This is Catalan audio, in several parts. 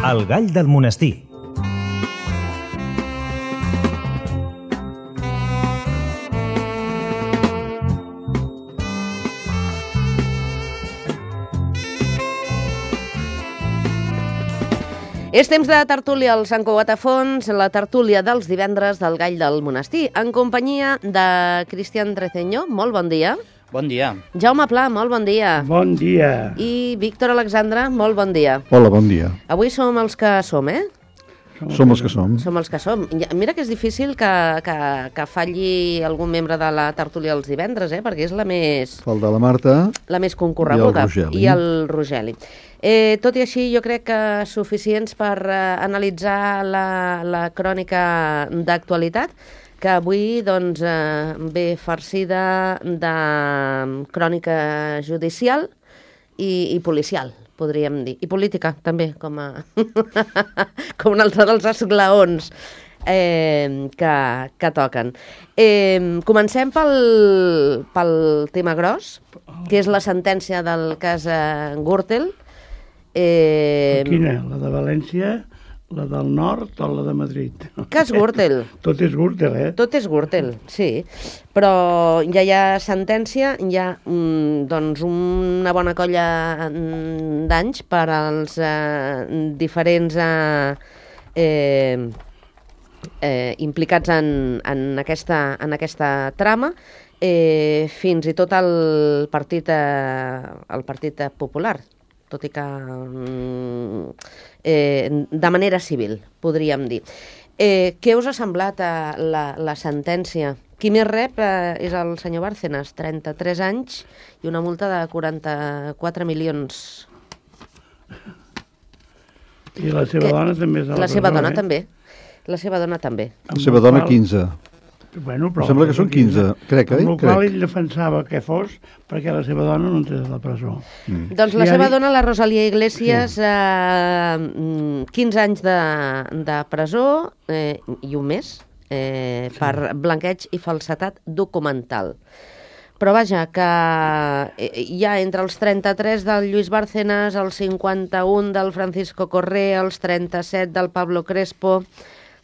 El gall del monestir. És temps de tertúlia al Sant Cugat a Fons, la tertúlia dels divendres del Gall del Monestir, en companyia de Cristian Treceño. Molt bon dia. Bon dia. Jaume Pla, molt bon dia. Bon dia. I Víctor Alexandre, molt bon dia. Hola, bon dia. Avui som els que som, Som els que som. Som els que som. Mira que és difícil que falli algun membre de la tertúlia els divendres, perquè és la més... Falta la Marta. La més concorreguda. I el Rogeli. Tot i així, jo crec que suficients per analitzar la crònica d'actualitat, que avui doncs, ve farcida de crònica judicial i policial, podríem dir. I política, també, com un altre dels esglaons que toquen. Comencem pel tema gros, que és la sentència del cas Gürtel. Quina? La de València, la del nord o la de Madrid? Cas Gürtel. Tot és Gürtel, Tot és Gürtel, sí. Però ja hi ha sentència, hi ha doncs una bona colla d'anys per als diferents implicats en aquesta trama, fins i tot el Partit Popular, tot i que de manera civil, podríem dir. Què us ha semblat la sentència? Qui més rep és el senyor Bárcenas, 33 anys i una multa de 44 milions. I la seva dona també és a la presó, La seva dona també. La seva dona també. La seva dona 15. Bueno, però... Em sembla que són 15, crec, Amb el qual ell defensava que fos perquè la seva dona no entrés a la presó. Doncs la seva dona, la Rosalía Iglesias, 15 anys de presó i un mes per blanqueig i falsedat documental. Però vaja, que hi ha entre els 33 del Lluís Bárcenas, els 51 del Francisco Correa, els 37 del Pablo Crespo,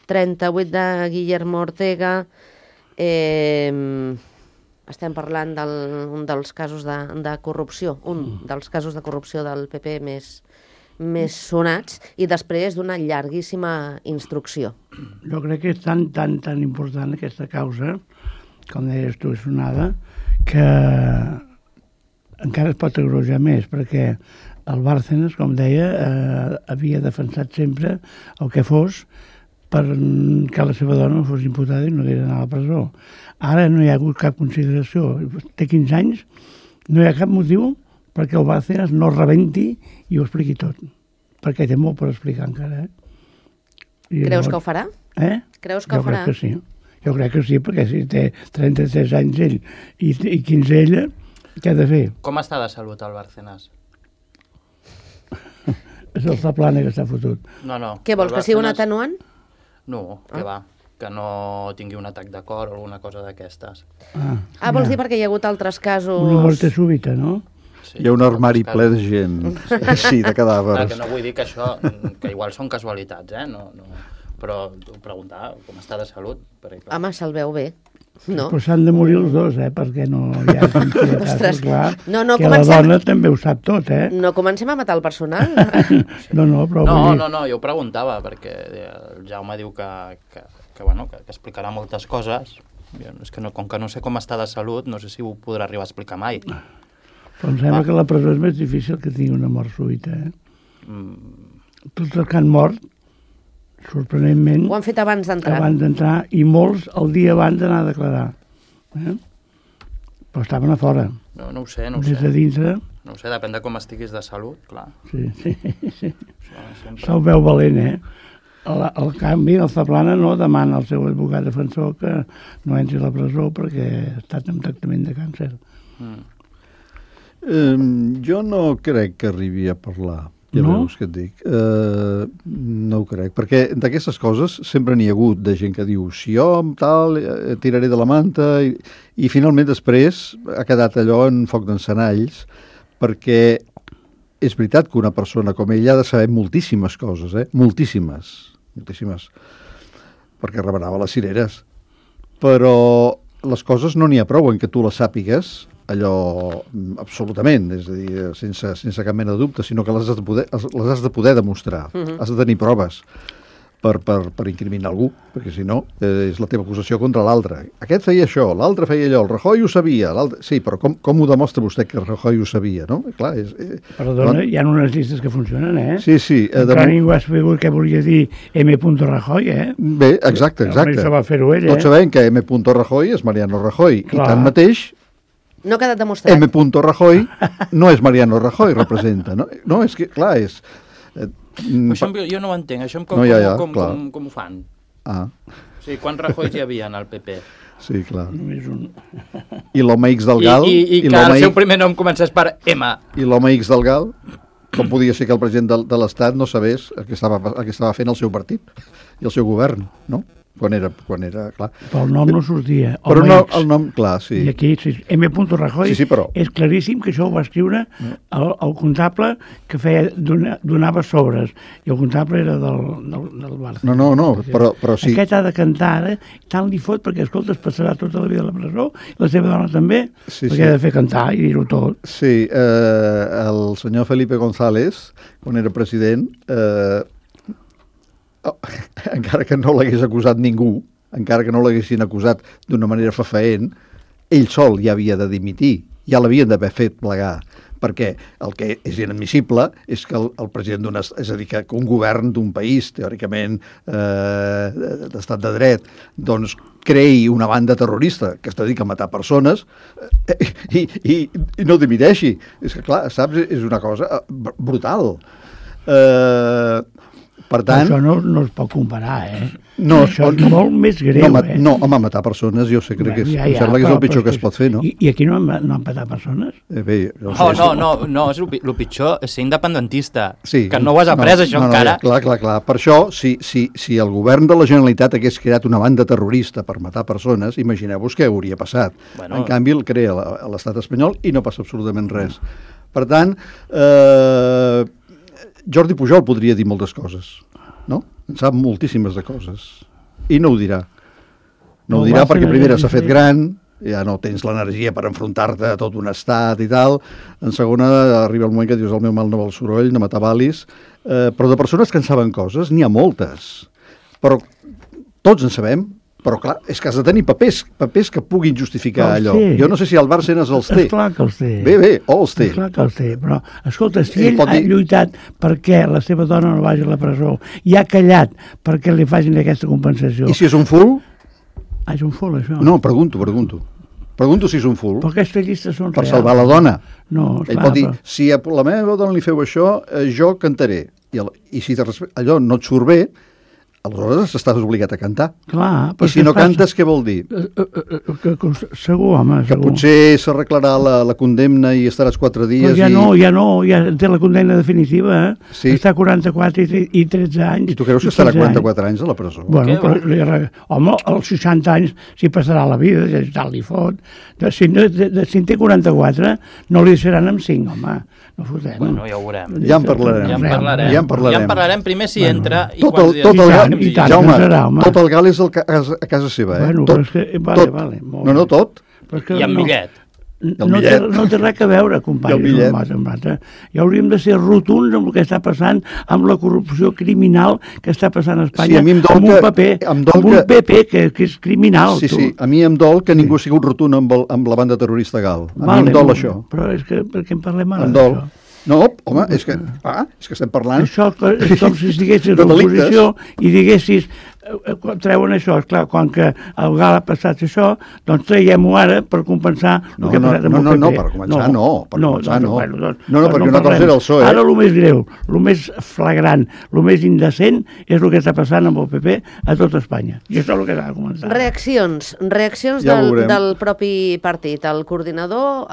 38 de Guillermo Ortega. Estem parlant d'un dels casos de corrupció, dels casos de corrupció del PP més sonats, i després d'una llarguíssima instrucció. Jo crec que és tan important aquesta causa, com deies tu, és sonada, que encara es pot agreujar més, perquè el Bárcenas, com deia, havia defensat sempre el que fos perquè la seva dona fos imputada i no hagués d'anar a la presó. Ara no hi ha hagut cap consideració. Té 15 anys, no hi ha cap motiu perquè el Bárcenas no rebenti i ho expliqui tot. Perquè té molt per explicar encara. Creus que ho farà? Creus que ho farà? Jo crec que sí. Jo crec que sí, perquè si té 33 anys ell i 15 ella, què ha de fer? Com està de salut el Bárcenas? És el Zaplana que està fotut. No. Què vols, que sigui un atenuant? No, que va, que no tingui un atac de cor o alguna cosa d'aquestes. Vols dir perquè hi ha hagut altres casos... Una mort súbita, no? Sí, hi ha un armari ple de gent, sí, de cadàvers. Que no vull dir que això, que igual són casualitats, no, però preguntar com està de salut. Perquè... Home, se'l veu bé. No. Però s'han de morir els dos, perquè no hi ha casos, clar, que la dona també ho sap tot, No comencem a matar el personal. No, però... No, jo ho preguntava, perquè el Jaume diu que explicarà moltes coses. És que com que no sé com està de salut, no sé si ho podrà arribar a explicar mai. Però em sembla que la presó és més difícil que tingui una mort súbita, Tots els que han mort, sorprenentment... Ho han fet abans d'entrar. Abans d'entrar, i molts el dia abans d'anar a declarar. Però estaven a fora. No ho sé. Des de dintre... No ho sé, depèn de com estiguis de salut, clar. Sí. Se'l veu valent, Al canvi, el Zaplana no demana al seu advocat defensor que no entri a la presó perquè ha estat en tractament de càncer. Jo no crec que arribi a parlar. Ja veus què et dic. No ho crec, perquè d'aquestes coses sempre n'hi ha hagut de gent que diu si jo tal tiraré de la manta i finalment després ha quedat allò en foc d'encenalls perquè és veritat que una persona com ella ha de saber moltíssimes coses, moltíssimes, perquè remenava les cireres. Però les coses no n'hi ha prou en què tu les sàpigues, allò absolutament, és a dir, sense cap mena de dubte, sinó que les has de poder demostrar, has de tenir proves per incriminar algú, perquè si no és la teva acusació contra l'altre. Aquest feia això, l'altre feia allò, el Rajoy ho sabia, sí, però com ho demostra vostè que el Rajoy ho sabia, no? Clar, Perdona, hi ha unes llistes que funcionen, Sí. Encara ningú ha sabut què volia dir M. Rajoy, Bé, exacte. Això va fer-ho ell, Tots sabem que M. Rajoy és Mariano Rajoy, i tanmateix no ha quedat demostrat. M. Rajoy no és Mariano Rajoy, representa, no? No, és que, clar, és... Això jo no ho entenc, això com ho fan? O sigui, quants Rajoys hi havia al PP? Sí, clar. Només un. I l'home X del Gal... I que el seu primer nom comencés per M. I l'home X del Gal, com podia ser que el president de l'Estat no sabés el que estava fent el seu partit i el seu govern, no? Quan era, clar. Però el nom no sortia. Però no, el nom, clar, sí. I aquí, M. Rajoy, però... és claríssim que això ho va escriure el comptable que donava sobres. I el comptable era del Barça. No, però sí. Aquest ha de cantar ara, tant li fot, perquè, escolta, es passarà tota la vida a la presó, la seva dona també, perquè ha de fer cantar i dir-ho tot. Sí, el senyor Felipe González, quan era president... encara que no l'hagués acusat ningú, encara que no l'haguessin acusat d'una manera fefaent, ell sol ja havia de dimitir, ja l'havien d'haver fet plegar, perquè el que és inadmissible és que el president és a dir, que un govern d'un país, teòricament d'estat de dret, doncs creï una banda terrorista que es dedica a matar persones i no dimiteixi. És que, clar, saps, és una cosa brutal. Per tant... Això no es pot comparar, No, això és molt més greu, No, home, matar persones jo sé, crec que em sembla que és el pitjor que es pot fer, no? I aquí no han matat persones? Bé, no, és el pitjor és ser independentista, que no ho has après, això encara. Clar. Per això, si el govern de la Generalitat hagués creat una banda terrorista per matar persones, imagineu-vos què hauria passat. En canvi, el crea l'estat espanyol i no passa absolutament res. Per tant, Jordi Pujol podria dir moltes coses, no? En sap moltíssimes de coses. I no ho dirà. No ho dirà perquè primera s'ha fet gran, ja no tens l'energia per enfrontar-te a tot un estat i tal. En segona, arriba el moment que dius el meu mal no val soroll, no m'atabalis. Però de persones que en saben coses, n'hi ha moltes. Però tots en sabem. Però clar, és que has de tenir papers que puguin justificar allò. Jo no sé si el Bárcenas els té. Esclar que els té. Bé, els té. Esclar que els té, però escolta, si ell ha lluitat perquè la seva dona no vagi a la presó i ha callat perquè li facin aquesta compensació... I si és un full? És un full, això? No, pregunto. Pregunto si és un full. Però aquestes llistes són per salvar la dona. No, ell pot dir, si a la meva dona li feu això, jo cantaré. I si allò no et surt bé, aleshores estàs obligat a cantar. Clar, i si no cantes, què vol dir? Segur, home, segur. Que potser s'arreglarà la condemna i estaràs 4 dies... Però ja té la condemna definitiva, Sí. Està a 44 i 13 anys. I tu creus que estarà 44 anys a la presó? Bueno, però, home, als 60 anys s'hi passarà la vida, tal li fot. Si en té 44, no li deixaran amb 5, home. No fotem. Bueno, ja ho veurem. Ja en parlarem. Primer si entra i quants dies... Jaume, tot el gal és a casa seva, Bueno, tot. Vale. No, tot. I amb millet. No té res a veure, company. Ja hauríem de ser rotunds amb el que està passant, amb la corrupció criminal que està passant a Espanya, amb un PP que és criminal. Sí, a mi em dol que ningú ha sigut rotund amb la banda terrorista gal. A mi em dol això. Però és que per què en parlem ara d'això? No, home, és que estem parlant... Això és com si estiguessis a l'oposició i diguessis, treuen això, esclar, quan que el GAL ha passat això, doncs traiem-ho ara per compensar el que ha passat amb el PP. No, per començar no. No, perquè una cosa era el PSOE. Ara el més greu, el més flagrant, el més indecent és el que està passant amb el PP a tot Espanya. I això és el que s'ha de començar. Reaccions del propi partit. El coordinador,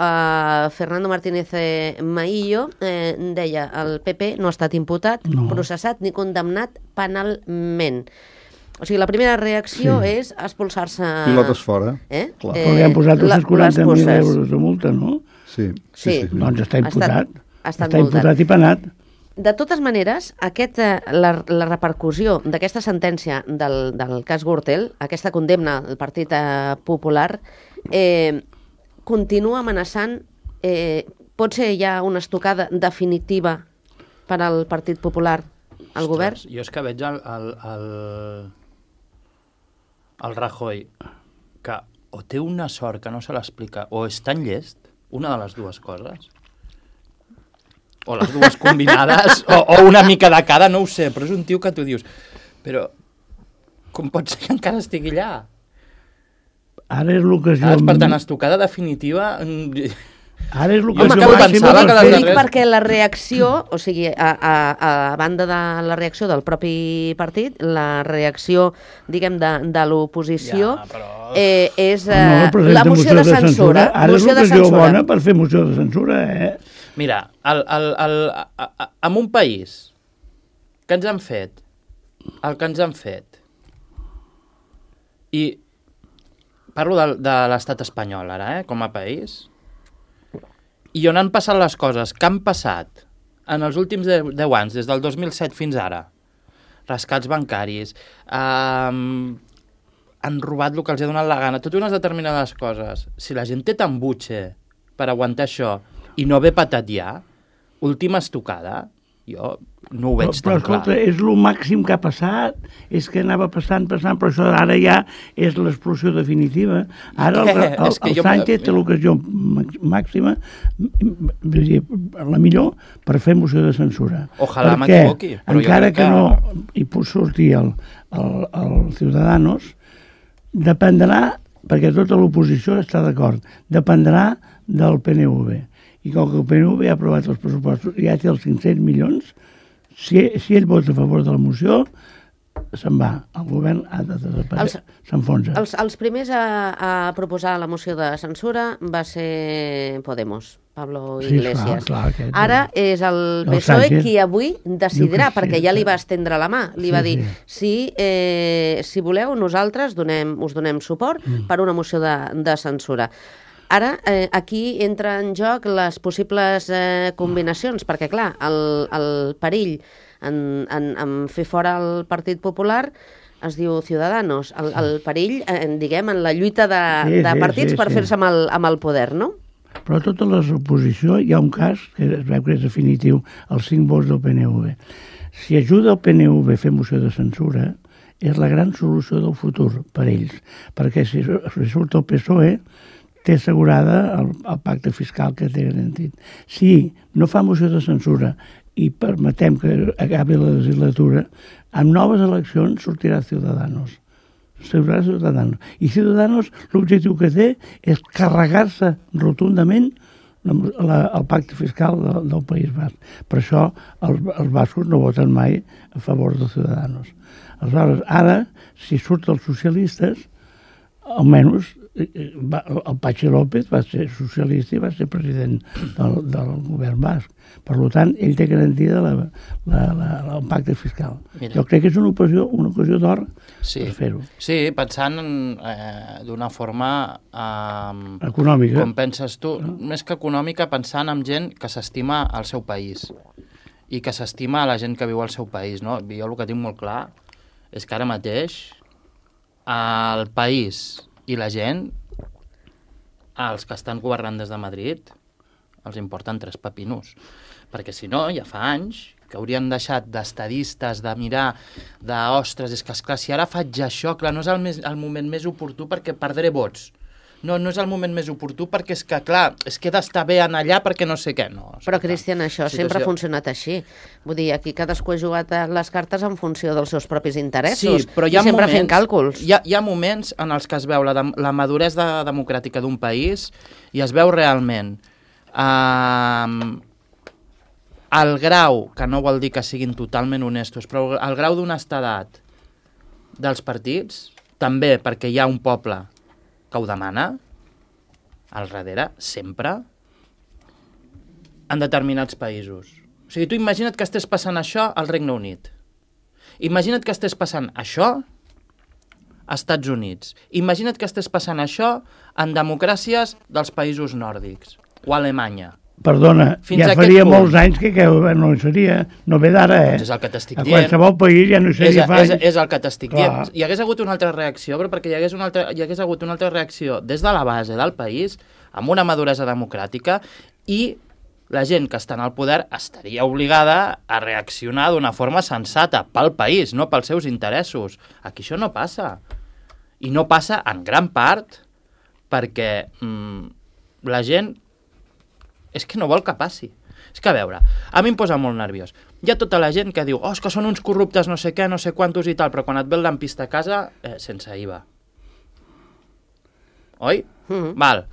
Fernando Martínez Maillo, deia el PP no ha estat imputat, processat ni condemnat penalment. O sigui, la primera reacció és expulsar-se... Pilotes fora. Però li han posat 240.000 euros de multa, no? Sí. Doncs està imputat. Ha estat Està imputat i penat. De totes maneres, la repercussió d'aquesta sentència del cas Gürtel, aquesta condemna del Partit Popular, continua amenaçant, pot ser ja una estocada definitiva per al Partit Popular al govern? Jo és que veig el Rajoy que o té una sort que no se l'explica o és tan llest, una de les dues coses, o les dues combinades, o una mica de cada, no ho sé, però és un tio que tu dius, però com pot ser que encara estigui allà? Ara és l'ocasió... Per tant, estocada definitiva... Ara és Home, que dic perquè la reacció, o sigui, a banda de la reacció del propi partit, la reacció, diguem, de l'oposició és la moció de censura. Ara és l'ocasió bona per fer moció de censura, Mira, en un país que ens han fet el que ens han fet, i parlo de l'estat espanyol ara, com a país, i on han passat les coses que han passat en els últims 10 anys, des del 2007 fins ara, rescats bancaris, han robat el que els ha donat la gana, totes unes determinades coses. Si la gent té tan butxe per aguantar això i no ve patat ja, última estocada, jo no ho veig tan clar. Però escolta, és el màxim que ha passat, és que anava passant, però això ara ja és l'explosió definitiva. Ara el Sánchez té l'ocasió màxima, la millor, per fer moció de censura. Ojalà m'equivoqui. Encara que no hi pot sortir el Ciudadanos, dependrà, perquè tota l'oposició està d'acord, dependrà del PNV. I com que el PNV ha aprovat els pressupostos i ja té els 500 milions, si ell vota a favor de la moció, se'n va. El govern ha de desaparèixer, s'enfonsa. Els primers a proposar la moció de censura va ser Podemos, Pablo Iglesias. Clar, ara és el PSOE qui avui decidirà, perquè ja li va estendre la mà. Li va dir, si voleu, nosaltres us donem suport per una moció de censura. Ara, aquí entra en joc les possibles combinacions, perquè, clar, el perill en fer fora el Partit Popular es diu Ciudadanos. El perill, diguem, en la lluita de partits per fer-se amb el poder, no? Però a tota l'oposició hi ha un cas que es veu que és definitiu, els 5 vots del PNV. Si ajuda el PNV a fer moció de censura, és la gran solució del futur per ells, perquè si surt el PSOE té assegurada el pacte fiscal que té garantit. Si no fa moció de censura i permetem que acabi la legislatura, amb noves eleccions sortirà Ciudadanos. I Ciudadanos l'objectiu que té és carregar-se rotundament el pacte fiscal del País Basc. Per això els bascos no voten mai a favor de Ciudadanos. Aleshores, ara, si surt els socialistes, almenys el Patxi López va ser socialista i va ser president del govern basc. Per tant, ell té garantida el pacte fiscal. Mira. Jo crec que és una ocasió d'or per fer-ho. Sí, pensant d'una forma... econòmica. Com penses tu, més que econòmica, pensant en gent que s'estima al seu país i que s'estima a la gent que viu al seu país. No? Jo el que tinc molt clar és que ara mateix el país i la gent, els que estan governant des de Madrid, els importen 3 pepinos. Perquè si no, ja fa anys que haurien deixat d'estadistes, de mirar, ostres, és que esclar, si ara faig això, clar, no és el moment més oportú perquè perdré vots. No és el moment més oportú perquè és que, clar, és que he d'estar bé en allà perquè no sé què. No, però, Cristian, això sempre ha funcionat així. Vull dir, aquí cadascú ha jugat les cartes en funció dels seus propis interessos. Sí, però hi ha sempre moments, fent càlculs. Hi ha moments en els que es veu la maduresa democràtica d'un país i es veu realment el grau, que no vol dir que siguin totalment honestos, però el grau d'honestedat dels partits, també perquè hi ha un poble que ho demana, al darrere, sempre, en determinats països. O sigui, tu imagina't que estàs passant això al Regne Unit. Imagina't que estàs passant això als Estats Units. Imagina't que estàs passant això en democràcies dels països nòrdics, o a Alemanya, Perdona, Fins ja a faria aquest molts punt. anys que no hi seria, no ve d'ara, Doncs és el que t'estic A dient. qualsevol país ja no hi seria fa anys. És el que t'estic Clar. dient. Hi hagués hagut una altra reacció, però perquè hi hagués hagut una altra reacció des de la base del país, amb una maduresa democràtica, i la gent que està en el poder estaria obligada a reaccionar d'una forma sensata pel país, no pels seus interessos. Aquí això no passa. I no passa en gran part perquè la gent és que no vol que passi. És que, a veure, a mi em posa molt nerviós. Hi ha tota la gent que diu, és que són uns corruptes no sé què, no sé quantos i tal, però quan et ve el lampista a casa, sense IVA. Oi? Val.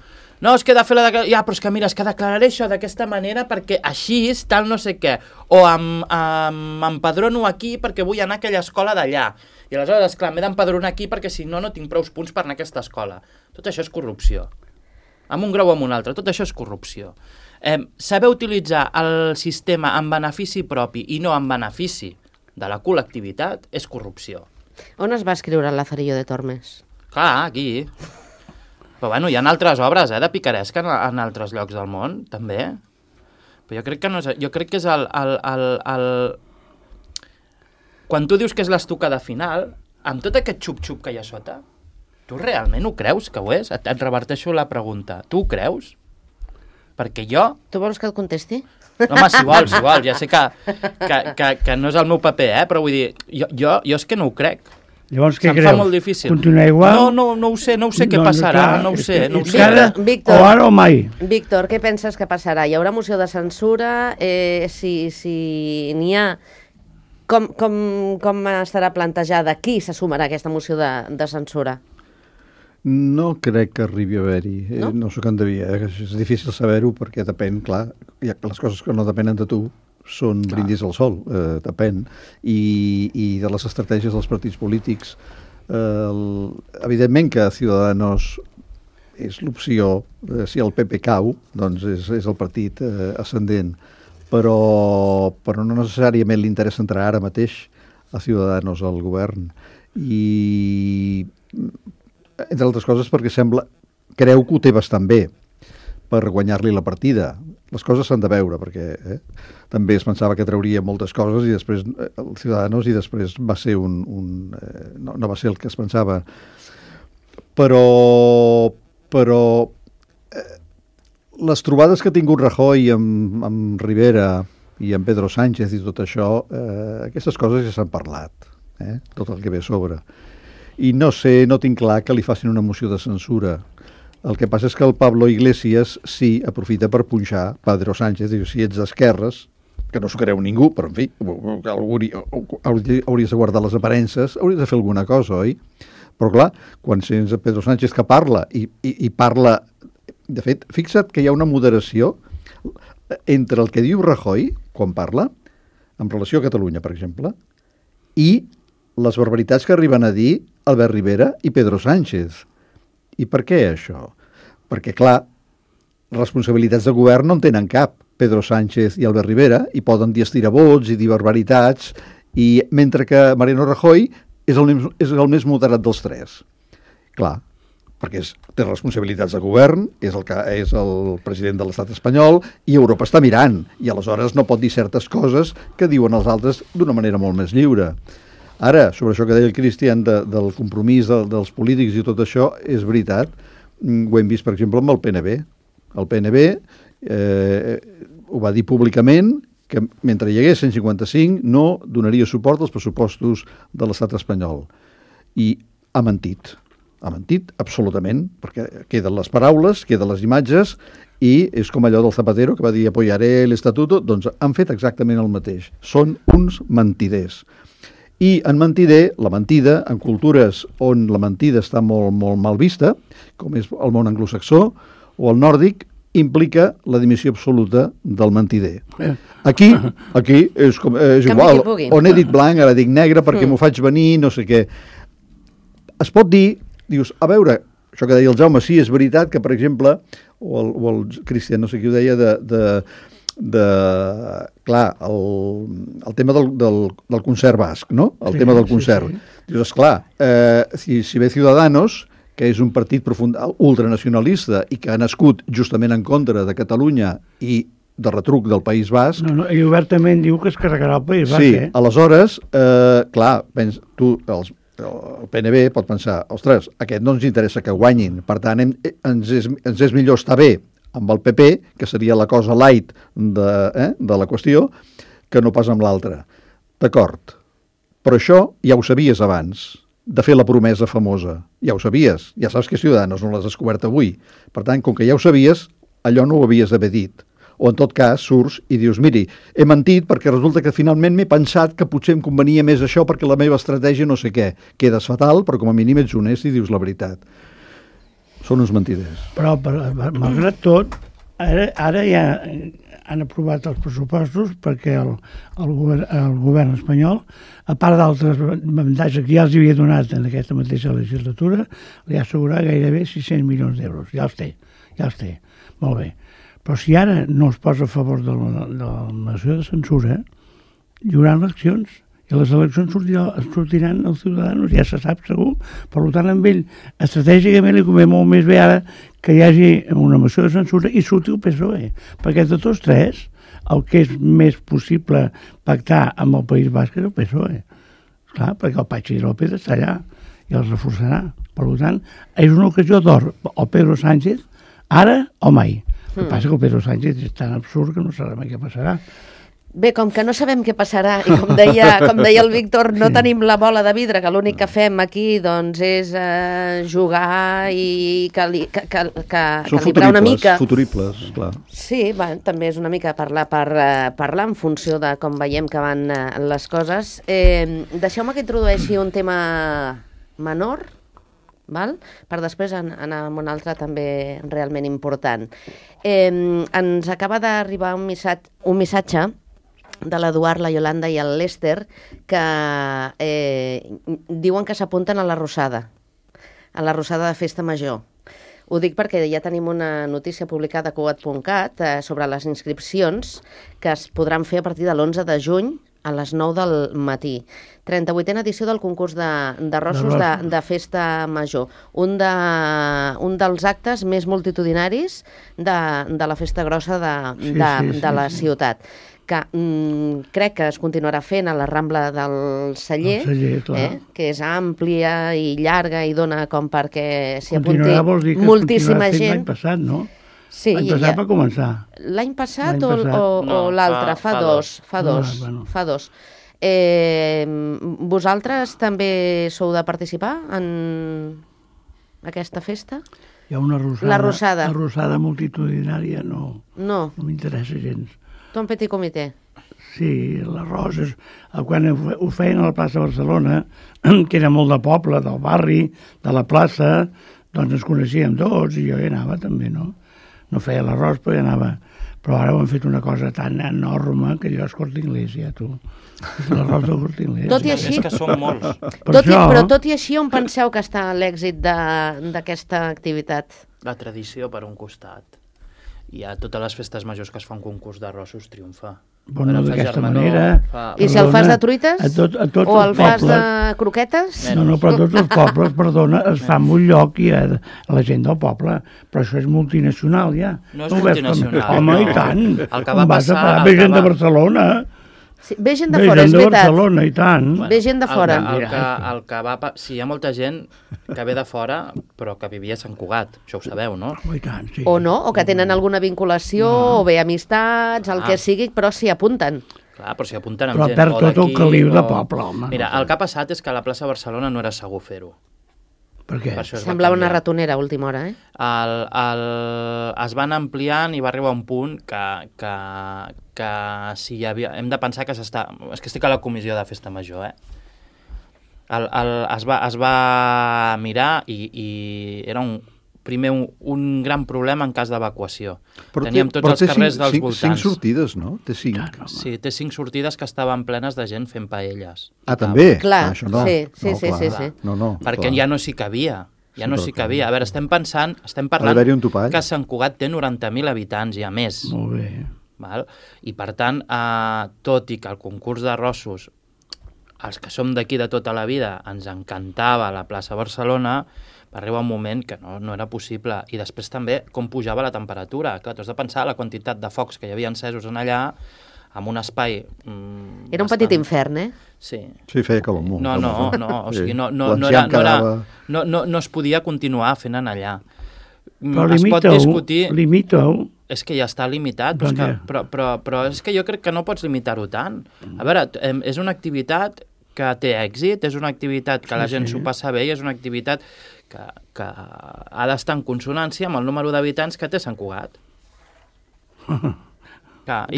No, és que he de fer ja, però és que mira, és que declararé això d'aquesta manera perquè així és tal no sé què. O m'empadrono aquí perquè vull anar a aquella escola d'allà. I aleshores, esclar, m'he d'empadronar aquí perquè si no, no tinc prous punts per anar a aquesta escola. Tot això és corrupció. Amb un grau o amb un altre, tot això és corrupció. Saber utilitzar el sistema en benefici propi i no en benefici de la col·lectivitat és corrupció. On es va escriure el Lazarillo de Tormes? Clar, aquí. Però bueno, hi ha altres obres, de picaresca en altres llocs del món, també. Però jo crec que no és... Jo crec que és el... Quan tu dius que és l'estocada final, amb tot aquest xup-xup que hi ha sota, tu realment ho creus que ho és? Et reverteixo la pregunta. Tu ho creus? Perquè jo... Tu vols que et contesti? Home, si vols, ja sé que no és el meu paper, però vull dir, jo és que no ho crec. Llavors, què Se'm creus? fa molt difícil. Continuar igual? No ho sé què passarà, no ho sé. Víctor, o ara o mai. Víctor, què penses que passarà? Hi haurà moció de censura? Si n'hi ha, com estarà plantejada? Qui se sumarà a aquesta moció de censura? No crec que arribi a haver-hi. No? No sóc endevia. És difícil saber-ho perquè depèn, clar, les coses que no depenen de tu són brindis al sol, depèn. I de les estratègies dels partits polítics. Evidentment que Ciudadanos és l'opció, si el PP cau, doncs és el partit ascendent, però no necessàriament li interessa entrar ara mateix a Ciudadanos al govern. I entre altres coses perquè creu que ho té bastant bé per guanyar-li la partida. Les coses s'han de veure, perquè també es pensava que trauria moltes coses i després el Ciudadanos i després va ser no va ser el que es pensava. Però les trobades que ha tingut Rajoy amb Rivera i amb Pedro Sánchez i tot això, aquestes coses ja s'han parlat, tot el que ve a sobre. I no sé, no tinc clar que li facin una moció de censura. El que passa és que el Pablo Iglesias sí aprofita per punxar Pedro Sánchez, diu, si ets d'esquerres, que no s'ho creu ningú, però en fi, hauries de guardar les aparences, hauries de fer alguna cosa, oi? Però clar, quan sents a Pedro Sánchez que parla i parla... De fet, fixa't que hi ha una moderació entre el que diu Rajoy, quan parla, en relació a Catalunya, per exemple, i les barbaritats que arriben a dir Albert Rivera i Pedro Sánchez. I per què això? Perquè, clar, responsabilitats de govern no en tenen cap Pedro Sánchez i Albert Rivera i poden dir estiravots i dir barbaritats, i mentre que Mariano Rajoy és el més moderat dels tres. Clar, perquè té responsabilitats de govern, és el president de l'estat espanyol i Europa està mirant, i aleshores no pot dir certes coses que diuen els altres d'una manera molt més lliure. Ara, sobre això que deia el Cristian del compromís dels polítics i tot això, és veritat. Ho hem vist, per exemple, amb el PNB. El PNB ho va dir públicament que mentre hi hagués 155 no donaria suport als pressupostos de l'estat espanyol. I ha mentit. Ha mentit absolutament, perquè queden les paraules, queden les imatges, i és com allò del Zapatero que va dir apoyaré l'estatuto, doncs han fet exactament el mateix. Són uns mentiders. I en mentider, la mentida, en cultures on la mentida està molt, molt mal vista, com és el món anglosaxó o el nòrdic, implica la dimissió absoluta del mentider. Aquí és igual. On he dit blanc, ara dic negre perquè m'ho faig venir, no sé què. Es pot dir, dius, a veure, això que deia el Jaume, sí, és veritat que, per exemple, o el Cristian, no sé qui ho deia, clar, el tema del concert basc, no? El tema del concert. Sí. Dius, esclar, si ve Ciudadanos, que és un partit ultranacionalista i que ha nascut justament en contra de Catalunya i de retruc del País Basc. No, ell obertament diu que es carregarà el País Basc, Sí, aleshores, clar, el PNB pot pensar, ostres, aquest no ens interessa que guanyin, per tant, ens és millor estar bé amb el PP, que seria la cosa light de la qüestió, que no pas amb l'altra. D'acord, però això ja ho sabies abans, de fer la promesa famosa. Ja ho sabies, ja saps que Ciudadanos no l'has descobert avui. Per tant, com que ja ho sabies, allò no ho havies d'haver dit. O en tot cas, surts i dius, miri, he mentit perquè resulta que finalment m'he pensat que potser em convenia més això perquè la meva estratègia no sé què. Quedes fatal, però com a mínim ets honest i dius la veritat. Són uns mentiders. Però, malgrat tot, ara ja han aprovat els pressupostos perquè el govern espanyol, a part d'altres avantatges que ja els havia donat en aquesta mateixa legislatura, li ha assegurat gairebé 600 milions d'euros. Ja els té. Molt bé. Però si ara no es posa a favor de la moció de censura, hi haurà eleccions. I les eleccions sortiran els Ciudadanos, ja se sap segur. Per tant, amb ell, estratègicament li convé molt més bé ara que hi hagi una moció de censura i surti el PSOE. Perquè de tots tres, el que és més possible pactar amb el País Basc és el PSOE. Clar, perquè el Patxi López està allà i els reforçarà. Per tant, és una ocasió d'or al Pedro Sánchez, ara o mai. El que passa que el Pedro Sánchez és tan absurd que no sabem què passarà. Bé, com que no sabem què passarà i com deia el Víctor, no tenim la bola de vidre, que l'únic que fem aquí doncs, és jugar i calibrar una mica. Futuribles, clar. Sí, també és una mica parlar en funció de com veiem que van les coses. Deixeu-me que introdueixi un tema menor, val? Per després anar amb un altre també realment important. Ens acaba d'arribar un missatge de l'Eduard, la Iolanda i el Lester, que diuen que s'apunten a la Rosada de Festa Major. Ho dic perquè ja tenim una notícia publicada a Cugat.cat sobre les inscripcions que es podran fer a partir de l'11 de juny a les 9 del matí. 38a edició del concurs de rossos de Festa Major. Un dels actes més multitudinaris de la festa grossa de la ciutat. Que crec que es continuarà fent a la Rambla del Celler, que és àmplia i llarga i dona com perquè s'hi apunti moltíssima gent. L'any passat, no? Sí, l'any passat va començar. L'any passat o l'altre? Fa dos. Vosaltres també sou de participar en aquesta festa? Hi ha una rosada. La rosada. La rosada multitudinària no m'interessa gens. Tu en petit comitè? Sí, les roses. Quan ho feien a la plaça de Barcelona, que era molt de poble, del barri, de la plaça, doncs ens coneixíem tots i jo hi anava també, no? No feia l'arròs, però hi anava. Però ara ho han fet una cosa tan enorme que allò és Corte Inglés, ja, tu. És l'arròs del Corte Inglés. Tot i així... És que són molts. Però tot i així, on penseu que està l'èxit d'aquesta activitat? La tradició per un costat. I a totes les festes majors que es fa un concurs d'arrossos triomfa. Bueno, d'aquesta manera... I si el fas de truites? O el fas de croquetes? No, però a tots els pobles, perdona, es fa en un lloc i la gent del poble. Però això és multinacional, ja. No és multinacional. Home, i tant. El que va passar... Ve gent de Barcelona. Sí, ve gent de fora, és veritat. Ve gent de Barcelona, i tant. Ve gent de fora. Sí, hi ha molta gent que ve de fora, però que vivia a Sant Cugat. Això ho sabeu, no? I tant, sí. O no, o que tenen alguna vinculació, o bé amistats, el que sigui, però s'hi apunten. Clar, però s'hi apunten amb gent. Però perd tot el caliu de poble, home. Mira, el que ha passat és que a la plaça Barcelona no era segur fer-ho. Per què? Semblava una ratonera a última hora, eh? Es van ampliant i va arribar un punt que si hi havia... Hem de pensar que s'està... És que estic a la comissió de Festa Major, es va mirar i era un gran problema en cas d'evacuació. Teníem tots els carrers dels voltants. 5 sortides, no? Té 5. Sí, té 5 sortides que estaven plenes de gent fent paelles. Ah, també? Clar, això no. sí. No, perquè ja no s'hi cabia. A veure, estem parlant que Sant Cugat té 90.000 habitants i a més. Molt bé. Val? I per tant, tot i que el concurs d'arrossos, els que som d'aquí de tota la vida, ens encantava la plaça Barcelona, Va arribar un moment que no era possible. I després també com pujava la temperatura. Clar, tu has de pensar la quantitat de focs que hi havia encesos en allà, amb un espai... Era un petit infern, eh? Sí. Sí, feia calor molt. O sigui, no es podia continuar fent en allà. Però es pot discutir... limita-ho. És que ja està limitat, però és que jo crec que no pots limitar-ho tant. A veure, és una activitat que té èxit, és una activitat que la gent s'ho passa bé i és una activitat que ha d'estar en consonància amb el número d'habitants que té Sant Cugat. I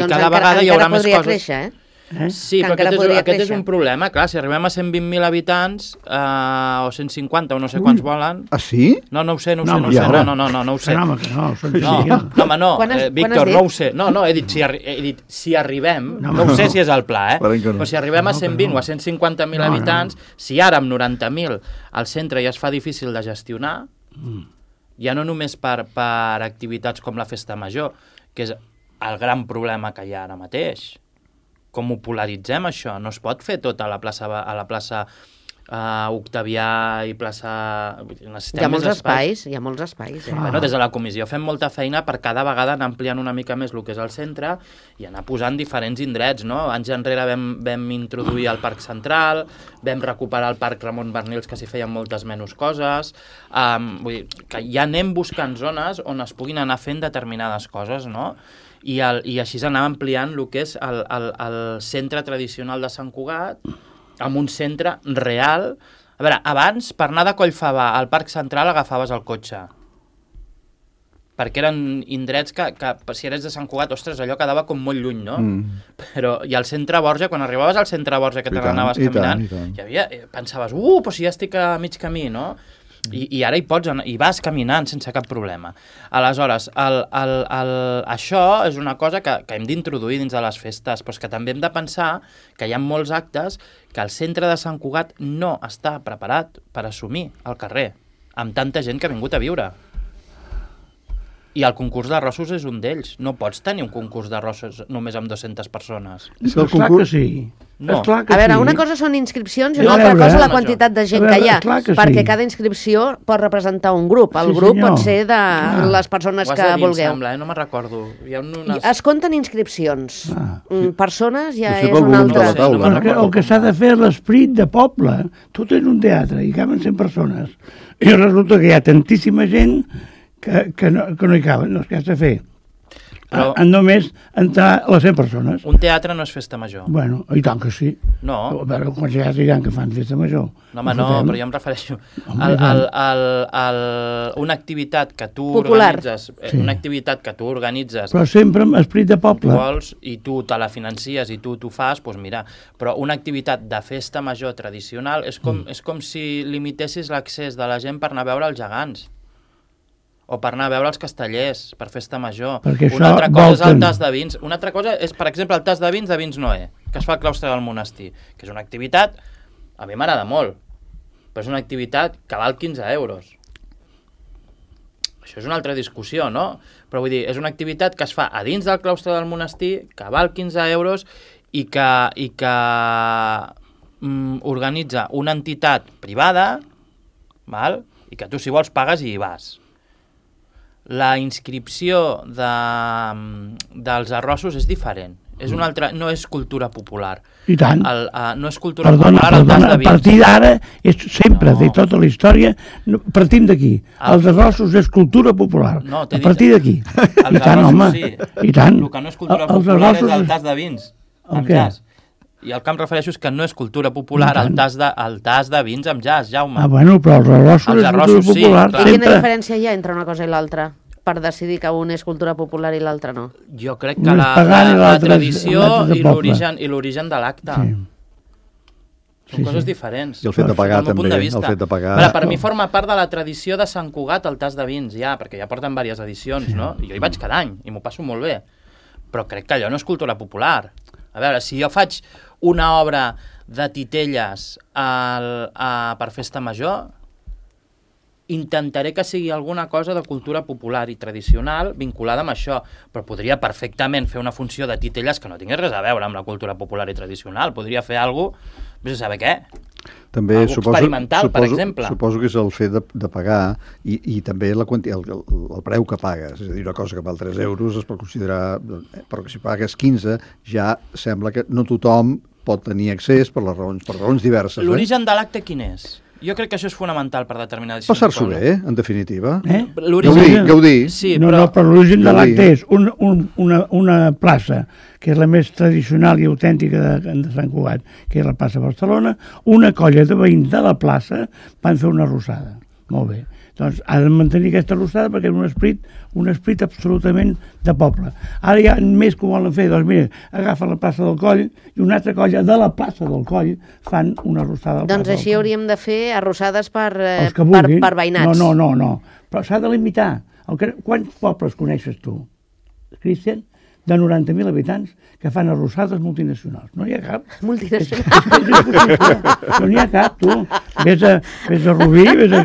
cada vegada hi haurà més coses. Encara podria créixer, eh? Sí, però aquest és un problema. Clar, si arribem a 120.000 habitants o 150 o no sé quants volen... Ah, sí? No ho sé. No ho sé. No, Víctor, no ho sé. No, he dit si arribem, no ho sé si és el pla, però si arribem a 120 o a 150.000 habitants, si ara amb 90.000 al centre ja es fa difícil de gestionar, ja no només per activitats com la Festa Major, que és el gran problema que hi ha ara mateix. Com ho polaritzem, això? No es pot fer tot a la plaça Octavià i plaça... Hi ha molts espais. Bueno, des de la comissió fem molta feina per cada vegada anar ampliant una mica més el que és el centre i anar posant diferents indrets, no? Anys enrere vam introduir el Parc Central, vam recuperar el Parc Ramon Bernils, que s'hi feien moltes menys coses. Vull dir, que ja anem buscant zones on es puguin anar fent determinades coses, no? I així s'anava ampliant el que és el centre tradicional de Sant Cugat amb un centre real. A veure, abans, per anar de Collfabà al Parc Central agafaves el cotxe. Perquè eren indrets que si eres de Sant Cugat, ostres, allò quedava com molt lluny, no? I al centre Borja, quan arribaves al centre Borja que te n'anaves caminant, hi havia, pensaves, però si ja estic a mig camí, no? I ara hi vas caminant sense cap problema. Aleshores, això és una cosa que hem d'introduir dins de les festes, però és que també hem de pensar que hi ha molts actes que el centre de Sant Cugat no està preparat per assumir al carrer, amb tanta gent que ha vingut a viure. I el concurs d'arrossos és un d'ells. No pots tenir un concurs d'arrossos només amb 200 persones. Esclar que sí. No. A veure, una cosa són inscripcions i una altra cosa la quantitat de gent que hi ha, perquè cada inscripció pot representar un grup. El grup pot ser de les persones que vulgueu. No me'n recordo. Es compten inscripcions. Persones ja és una altra. El que s'ha de fer l'esperit de poble. Tu tens un teatre i caben 100 persones. I resulta que hi ha tantíssima gent que no hi caben, no és que has de fer. Han només entrar les 100 persones. Un teatre no és festa major. Bueno, i tant que sí. No. A veure, quants teatres hi ha que fan festa major? No, però jo em refereixo una activitat que tu organitzes, una activitat que tu organitzes... Però sempre amb esperit de poble. Tu vols, i tu te la financies i tu t'ho fas, doncs mira, però una activitat de festa major tradicional és com si limitessis l'accés de la gent per anar a veure els gegants. O per anar a veure els castellers, per festa major. Una altra cosa és el tas de vins. Una altra cosa és, per exemple, el tas de vins Noé, que es fa al claustre del monestir, que és una activitat, a mi m'agrada molt, però és una activitat que val 15 euros. Això és una altra discussió, no? Però vull dir, és una activitat que es fa a dins del claustre del monestir, que val 15 euros i que organitza una entitat privada, i que tu, si vols, pagues i hi vas. La inscripció dels arrossos és diferent. És una altra, no és cultura popular. I tant. No és cultura popular el tas de vins. A partir d'ara, sempre, de tota la història, partim d'aquí. Els arrossos és cultura popular. A partir d'aquí. Els arrossos sí. I tant. El que no és cultura popular és el tas de vins. Amb jazz. I el que em refereixo és que no és cultura popular el tas de vins amb jazz, Jaume. Bueno, però els arrossos és cultura popular. I quina diferència hi ha entre una cosa i l'altra? Per decidir que un és cultura popular i l'altre no? Jo crec que la tradició i l'origen de l'acte. Són coses diferents. I el fet de pagar també. Per mi forma part de la tradició de Sant Cugat el tas de vins, perquè ja porten diverses edicions, no? I jo hi vaig cada any i m'ho passo molt bé. Però crec que allò no és cultura popular. A veure, si jo faig una obra de titelles per festa major, intentaré que sigui alguna cosa de cultura popular i tradicional vinculada amb això, però podria perfectament fer una funció de titelles que no tingués res a veure amb la cultura popular i tradicional. Podria fer alguna cosa, vés a saber què. També experimental, per exemple. Suposo que és el fet de pagar i també el preu que pagues. És a dir, una cosa que val 3 euros es pot considerar... Però que si pagues 15 ja sembla que no tothom pot tenir accés per raons diverses. L'origen de l'acte quin és? Jo crec que això és fonamental per determinar decisions. Passar-s'ho bé, en definitiva. Gaudir. Sí, però l'origen de l'acte és una plaça, que és la més tradicional i autèntica de Sant Cugat, que és la plaça Barcelona. Una colla de veïns de la plaça van fer una arrossada. Molt bé. Doncs ha de mantenir aquesta arrossada perquè és un esprit absolutament de poble. Ara hi ha més que ho volen fer. Doncs mira, agafen la plaça del Coll i una altra colla de la plaça del Coll fan una arrossada. Doncs així hauríem de fer arrossades per veïnats. No. Però s'ha de limitar. Quants pobles coneixes tu, Cristian, de 90.000 habitants que fan arrossades multinacionals? No hi ha cap. Multinacionals? No n'hi ha cap, tu. Vés a Rubí, vés a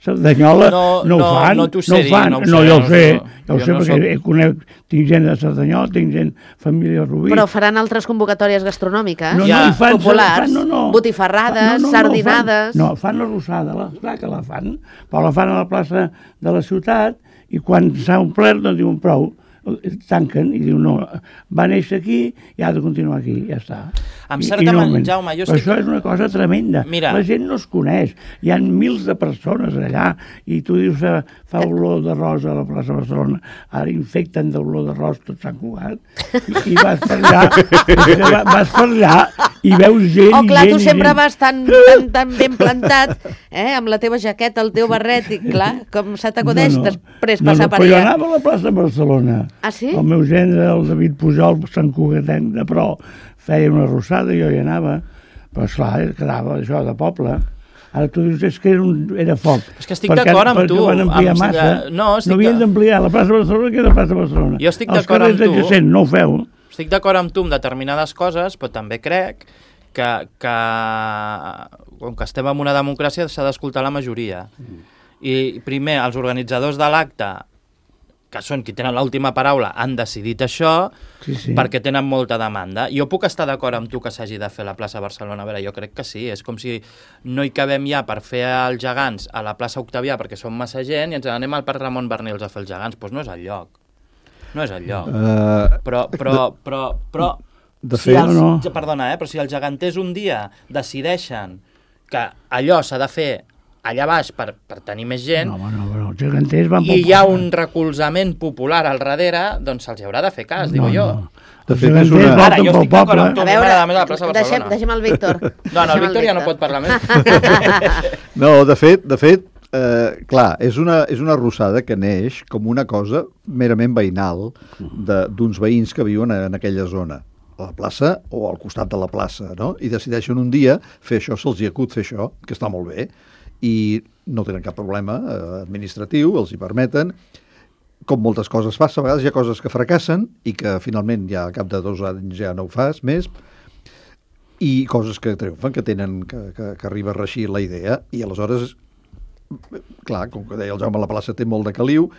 Cerdanyola, no ho fan. No t'ho sé dir, no jo ho sé. Jo ho sé perquè tinc gent de Cerdanyola, tinc gent, família de Rubí. Però faran altres convocatòries gastronòmiques? Populars, botifarrades, sardinades... No, fan l'arrossada, clar que la fan, però la fan a la plaça de la ciutat i quan s'ha omplert, doncs diuen prou, tanquen i diu no, va néixer aquí i ha de continuar aquí, ja està. Amb certa manera, Jaume, jo estic... Però això és una cosa tremenda. Mira. La gent no es coneix. Hi ha mils de persones allà i tu dius fa olor de rosa a la plaça Barcelona. Ara infecten d'olor de rosa tot Sant Cugat i vas per allà i veus gent Oh, clar, tu sempre vas tan ben plantat, amb la teva jaqueta, el teu barret, i clar, com se t'acudeix després passar per allà. Però jo anava a la plaça Barcelona. Ah, sí? El meu gendre, el David Pujol, Sant Cugatenc de Pro, feia una arrossada i jo hi anava. Però, esclar, quedava això de poble. Ara tu dius, és que era foc. És que estic d'acord amb tu. Perquè van ampliar massa. No havien d'ampliar la plaça Barcelona que era la plaça Barcelona. Jo estic d'acord amb tu. Els carrers adjacents no ho feu. Estic d'acord amb tu en determinades coses, però també crec que com que estem en una democràcia s'ha d'escoltar la majoria. I primer, els organitzadors de l'acte, que són qui tenen l'última paraula, han decidit això perquè tenen molta demanda. Jo puc estar d'acord amb tu que s'hagi de fer la plaça Barcelona. A veure, jo crec que sí. És com si no hi cabem ja per fer els gegants a la plaça Octavià perquè som massa gent i ens anem al Parc Ramon Bernils a fer els gegants. Doncs no és el lloc. No és el lloc. Però de fet, perdona, però si els geganters un dia decideixen que allò s'ha de fer allà baix per tenir més gent, però els geganters van i hi ha un recolzament popular al darrere, doncs se'ls haurà de fer cas, digo jo. De fet, és una... Ara, jo estic d'acord amb tu, a veure, la plaça Barcelona. Deixem el Víctor. No, el Víctor ja no pot parlar més. No, de fet, clar, és una arrossada que neix com una cosa merament veïnal d'uns veïns que viuen en aquella zona, a la plaça o al costat de la plaça, no? I decideixen un dia fer això, se'ls hi acut fer això, que està molt bé, i no tenen cap problema administratiu, els hi permeten. Com moltes coses passa, a vegades hi ha coses que fracassen i que finalment ja al cap de 2 anys ja no ho fas més, i coses que triomfen, que arriba a reeixir la idea, i aleshores, clar, com que deia el Jaume, la plaça té molt de caliu,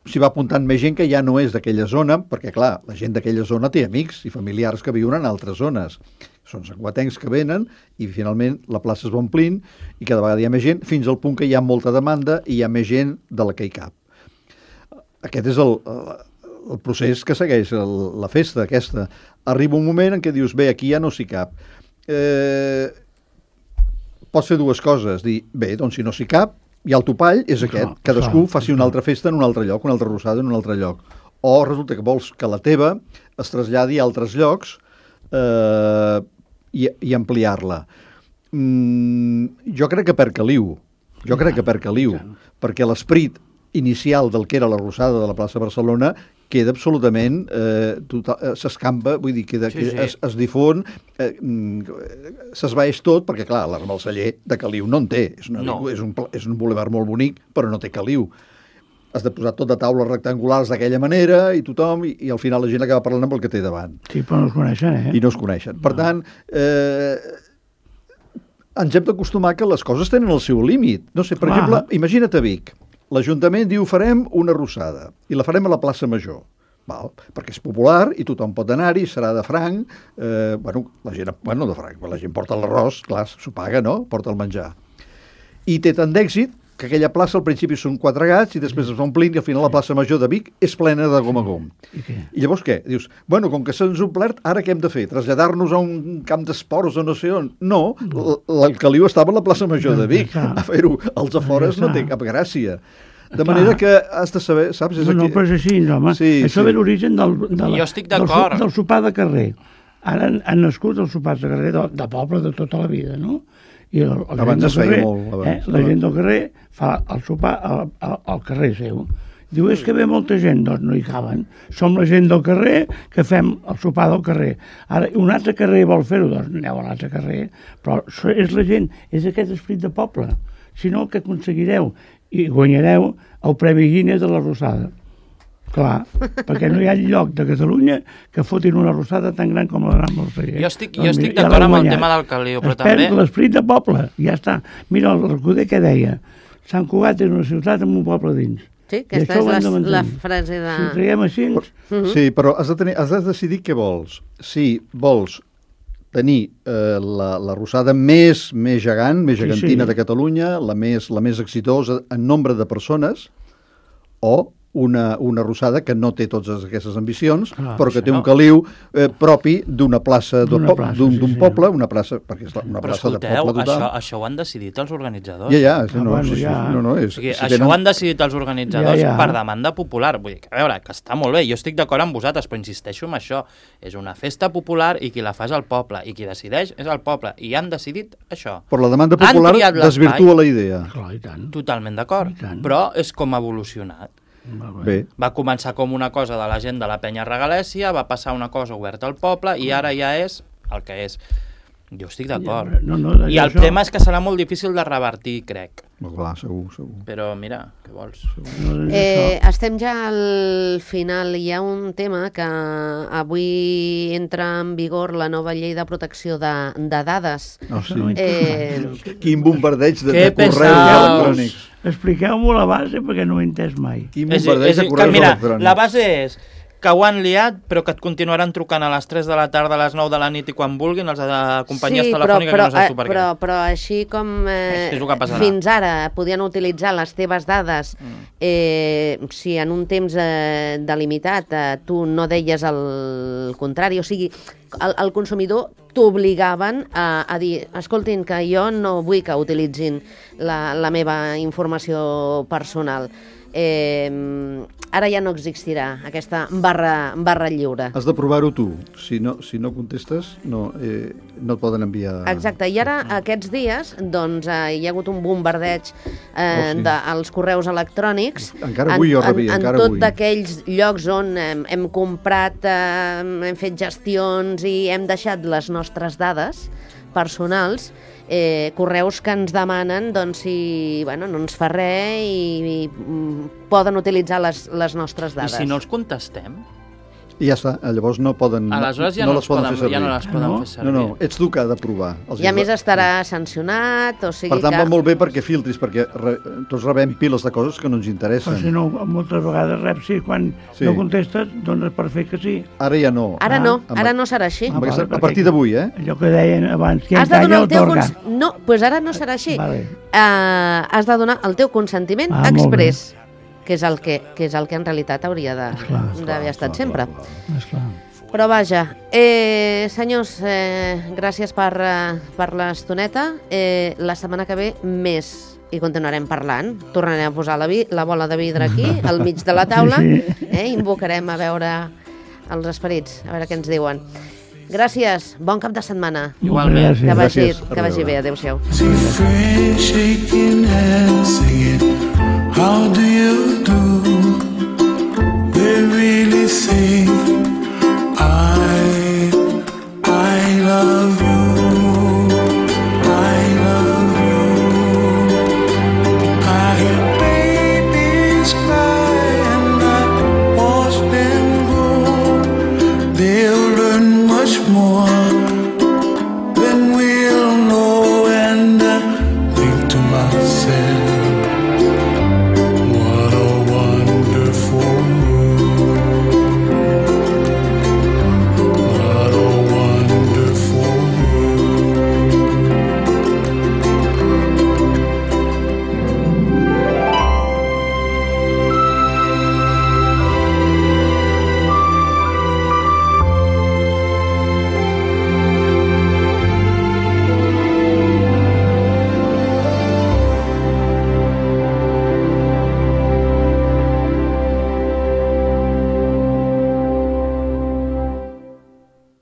s'hi va apuntant més gent que ja no és d'aquella zona, perquè clar, la gent d'aquella zona té amics i familiars que viuen en altres zones. Són santcugatencs que venen i finalment la plaça es va omplint i cada vegada hi ha més gent, fins al punt que hi ha molta demanda i hi ha més gent de la que hi cap. Aquest és el procés que segueix la festa aquesta. Arriba un moment en què dius, bé, aquí ja no s'hi cap. Pots fer dues coses, dir, bé, doncs si no s'hi cap, i el topall és aquest, cadascú faci una altra festa en un altre lloc, una altra arrossada en un altre lloc. O resulta que vols que la teva es traslladi a altres llocs i ampliar-la. Jo crec que perd caliu, perquè l'esperit inicial del que era l'arrossada de la plaça Barcelona queda absolutament, s'escampa, vull dir, es difon, s'esvaeix tot, perquè clar, l'Arbalceller de caliu no en té, és un bulevard molt bonic, però no té caliu. Has de posar tot de taules rectangulars d'aquella manera i tothom, i al final la gent acaba parlant amb el que té davant. Sí, però no es coneixen, I no es coneixen. Per tant, ens hem d'acostumar que les coses tenen el seu límit. No sé, per exemple, imagina't a Vic. L'Ajuntament diu farem una arrossada i la farem a la plaça Major. Val? Perquè és popular i tothom pot anar-hi, serà de franc. La gent, de franc, la gent porta l'arròs, clar, s'ho paga, no? Porta el menjar. I té tant d'èxit que aquella plaça al principi són 4 gats i després es va omplint i al final la plaça Major de Vic és plena de gom a gom. I llavors què? Dius, com que se'ns ha omplert, ara què hem de fer? Traslladar-nos a un camp d'esports o no sé on? No, el caliu estava a la plaça Major de Vic. A fer-ho als afores no té cap gràcia. De manera que has de saber, saps? No, però és així, home. Això ve l'origen del sopar de carrer. Ara han nascut els sopars de carrer de poble de tota la vida, no? I abans es feia molt. La gent del carrer fa el sopar al carrer seu. Diu, és que ve molta gent. Doncs no hi caben. Som la gent del carrer que fem el sopar del carrer. Ara, un altre carrer vol fer-ho, doncs aneu a l'altre carrer. Però és la gent, és aquest esperit de poble. Si no, el que aconseguireu i guanyareu el Premi Guinness de la Rosada. Clar, perquè no hi ha lloc de Catalunya que fotin una rosada tan gran com la Gran Balcellet. Jo estic d'acord amb el tema del caliu, però també... Es perd l'esperit de poble, ja està. Mira, el Recoder què deia? Sant Cugat és una ciutat amb un poble dins. Sí, aquesta és la frase de... Si ho traiem així... Sí, però has de decidir què vols. Si vols tenir la rosada més gegant, més gegantina de Catalunya, la més exitosa en nombre de persones, o una rosada que no té totes aquestes ambicions, però que té un caliu propi d'una plaça, d'un poble, una plaça, perquè és una plaça de poble total. Això ho han decidit els organitzadors. Això ho han decidit els organitzadors per demanda popular. Vull dir, a veure, que està molt bé, jo estic d'acord amb vosaltres, però insisteixo en això. És una festa popular i qui la fa és el poble, i qui decideix és el poble, i han decidit això. Però la demanda popular desvirtua la idea. Totalment d'acord, però és com ha evolucionat. Bé. Va començar com una cosa de la gent de la penya regalèssia, va passar una cosa oberta al poble i ara ja és el que és. Jo estic d'acord. I el tema és que serà molt difícil de revertir, crec. Clar, segur. Però mira, què vols? Estem ja al final. Hi ha un tema que avui entra en vigor la nova llei de protecció de dades. Quin bombardeig de correus electrònics. Expliqueu-m'ho la base perquè no ho he entès mai. Quin bombardeig de correus electrònics. La base és que ho han liat, però que et continuaran trucant a les 3 de la tarda, a les 9 de la nit i quan vulguin, els de companyies telefòniques que no saps tu per què. Però així com fins ara podien utilitzar les teves dades, si en un temps delimitat tu no deies el contrari, o sigui, el consumidor t'obligaven a dir, escoltin, que jo no vull que utilitzin la meva informació personal. Ara ja no existirà aquesta barra lliure. Has de provar-ho tu. Si no contestes, no et poden enviar... Exacte, i ara aquests dies doncs, hi ha hagut un bombardeig dels correus electrònics. Encara avui jo rebia, en tot d'aquells llocs on hem comprat, hem fet gestions i hem deixat les nostres dades personals, correus que ens demanen doncs, si no ens fa res i poden utilitzar les nostres dades. I si no els contestem? I ja està, llavors no poden... Aleshores ja no les poden fer servir. No, ets tu que ha de provar. I a més estarà sancionat, o sigui que... Per tant, va molt bé perquè filtris, perquè tots rebem piles de coses que no ens interessen. Però si no, moltes vegades reps quan no contestes, dones per fer que sí. Ara ja no. Ara no serà així. A partir d'avui, Allò que deien abans, qui has de encalla donar el teu otorga. No, doncs ara no serà així. Has de donar el teu consentiment exprés, que és el que en realitat hauria d'haver estat sempre. Però vaja, senyors, gràcies per l'estoneta. La setmana que ve més i continuarem parlant. Tornarem a posar la bola de vidre aquí, al mig de la taula. Invocarem a veure els esperits, a veure què ens diuen. Gràcies, bon cap de setmana. Igualment. Que vagi bé, adéu-siau. How do you do?